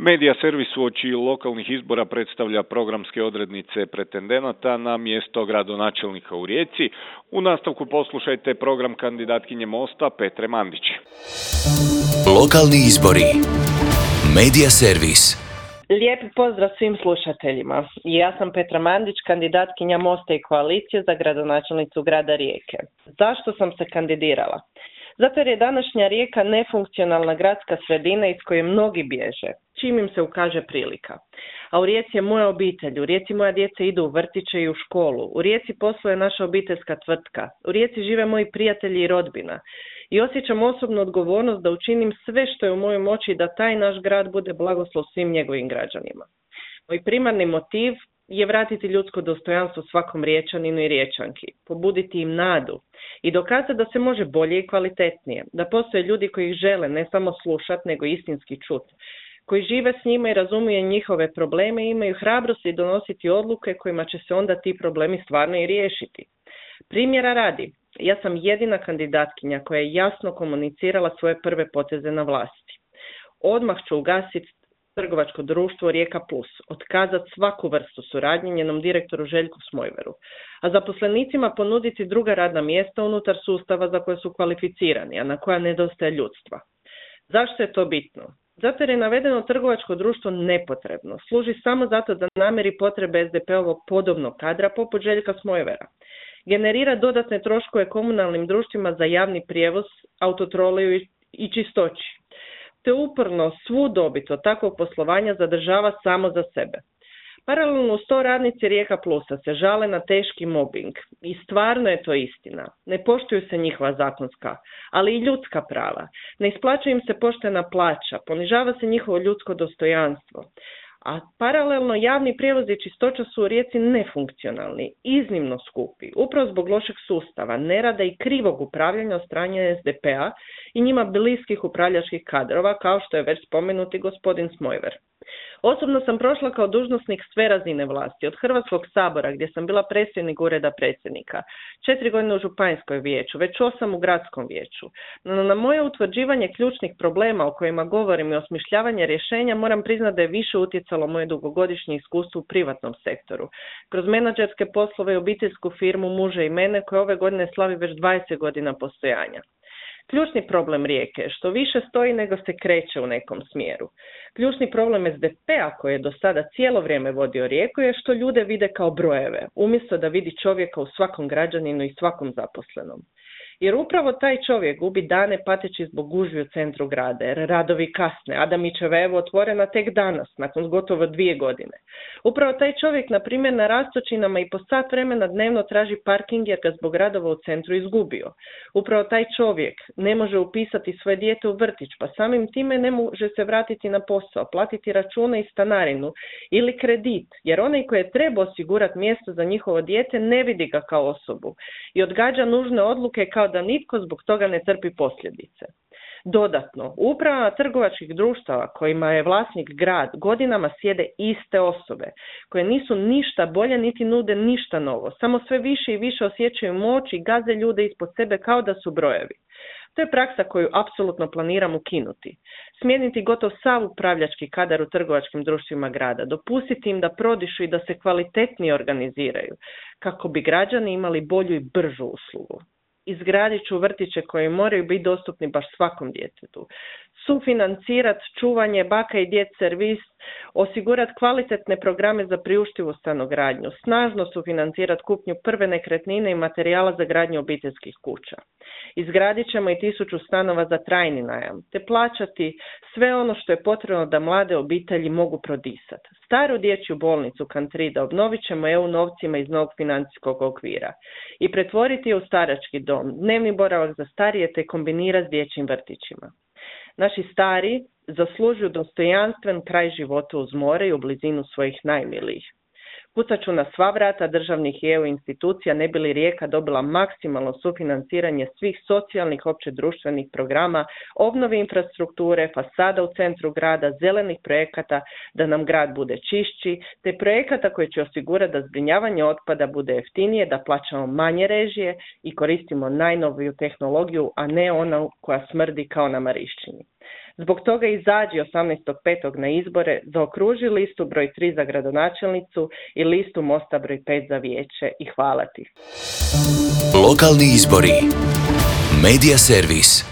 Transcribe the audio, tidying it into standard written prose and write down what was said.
Medija servis uoči lokalnih izbora predstavlja programske odrednice pretendenata na mjesto gradonačelnika u Rijeci. U nastavku poslušajte program kandidatkinje Mosta Petre Mandić. Lokalni izbori. Medija servis. Lijep pozdrav svim slušateljima. Ja sam Petra Mandić, kandidatkinja Mosta i koalicije za gradonačelnicu grada Rijeke. Zašto sam se kandidirala? Zato jer je današnja Rijeka nefunkcionalna gradska sredina iz koje mnogi bježe, čim im se ukaže prilika. A u Rijeci je moja obitelj, u Rijeci moja djeca idu u vrtiće i u školu, u Rijeci posluje naša obiteljska tvrtka, u Rijeci žive moji prijatelji i rodbina. I osjećam osobnu odgovornost da učinim sve što je u mojoj moći da taj naš grad bude blagoslov svim njegovim građanima. Moj primarni motiv je vratiti ljudsko dostojanstvo svakom Riječaninu i Riječanki, pobuditi im nadu i dokazati da se može bolje i kvalitetnije, da postoje ljudi koji ih žele ne samo slušati nego istinski čuti, koji žive s njima i razumiju njihove probleme i imaju hrabrosti donositi odluke kojima će se onda ti problemi stvarno i riješiti. Primjera radi, ja sam jedina kandidatkinja koja je jasno komunicirala svoje prve poteze na vlasti. Odmah ću ugasiti trgovačko društvo Rijeka Plus, otkazati svaku vrstu suradnje njenom direktoru Željku Smojveru, a zaposlenicima ponuditi druga radna mjesta unutar sustava za koje su kvalificirani, a na koja nedostaje ljudstva. Zašto je to bitno? Zato jer je navedeno trgovačko društvo nepotrebno, služi samo zato da namiri potrebe SDP-ovog podobnog kadra poput Željka Smojvera. Generira dodatne troškove komunalnim društvima za javni prijevoz, autotroliju i čistoći. Te uporno svu dobit od takvog poslovanja zadržava samo za sebe. Paralelno uz to radnici Rijeka Plusa se žale na teški mobbing i stvarno je to istina. Ne poštuju se njihova zakonska, ali i ljudska prava. Ne isplaćuje im se poštena plaća, ponižava se njihovo ljudsko dostojanstvo. A paralelno javni prijevoz i čistoća su u Rijeci nefunkcionalni, iznimno skupi, upravo zbog lošeg sustava, nerada i krivog upravljanja od strane SDP-a i njima bliskih upravljačkih kadrova, kao što je već spomenuti gospodin Smojver. Osobno sam prošla kao dužnosnik sve razine vlasti, od Hrvatskog sabora gdje sam bila predsjednik ureda predsjednika, 4 godine u županijskoj vijeću, već 8 u gradskom vijeću. No, na moje utvrđivanje ključnih problema o kojima govorim i osmišljavanje rješenja moram priznati da je više utjecalo moje dugogodišnje iskustvo u privatnom sektoru. Kroz menadžerske poslove i obiteljsku firmu muža i mene koja ove godine slavi već 20 godina postojanja. Ključni problem Rijeke je što više stoji nego se kreće u nekom smjeru. Ključni problem SDP-a koji je do sada cijelo vrijeme vodio Rijeku je što ljude vide kao brojeve, umjesto da vidi čovjeka u svakom građaninu i svakom zaposlenom. Jer upravo taj čovjek gubi dane pateći zbog gužvi u centru grada, jer radovi kasne, Adamićeva je evo otvorena tek danas, nakon gotovo 2 godine. Upravo taj čovjek, na primjer, na Rastočinama i po sat vremena dnevno traži parking jer ga zbog radova u centru izgubio. Upravo taj čovjek ne može upisati svoje dijete u vrtić, pa samim time ne može se vratiti na posao, platiti račune i stanarinu ili kredit, jer onaj koji je treba osigurati mjesto za njihovo dijete ne vidi ga kao osobu i odgađa nužne odluke kao da nitko zbog toga ne trpi posljedice. Dodatno, u upravama trgovačkih društava kojima je vlasnik grad godinama sjede iste osobe koje nisu ništa bolje niti nude ništa novo, samo sve više i više osjećaju moć i gaze ljude ispod sebe kao da su brojevi. To je praksa koju apsolutno planiram ukinuti. Smijeniti gotov sav upravljački kadar u trgovačkim društvima grada, dopustiti im da prodišu i da se kvalitetnije organiziraju, kako bi građani imali bolju i bržu uslugu. Izgradit ću vrtiće koji moraju biti dostupni baš svakom djetetu. Sufinancirati čuvanje baka i djed servis, osigurati kvalitetne programe za priuštivu stanogradnju, snažno sufinancirati kupnju prve nekretnine i materijala za gradnju obiteljskih kuća. Izgradit ćemo i 1000 stanova za trajni najam, te plaćati sve ono što je potrebno da mlade obitelji mogu prodisati. Staru dječju bolnicu Kantrida obnovit ćemo EU novcima iz novog financijskog okvira i pretvoriti je u starački dom, dnevni boravak za starije te kombinirati s dječjim vrtićima. Naši stari zaslužuju dostojanstven kraj života uz more i u blizinu svojih najmilijih. Kucat ću na sva vrata državnih i EU institucija ne bi li Rijeka dobila maksimalno sufinanciranje svih socijalnih općedruštvenih programa, obnovi infrastrukture, fasada u centru grada, zelenih projekata da nam grad bude čišći, te projekata koji će osigurati da zbrinjavanje otpada bude jeftinije, da plaćamo manje režije i koristimo najnoviju tehnologiju, a ne onu koja smrdi kao na Marišćini. Zbog toga izađi 18.5. na izbore, zaokruži listu broj 3 za gradonačelnicu i listu Mosta broj 5 za vijeće i hvala ti. Lokalni izbori. Medija servis.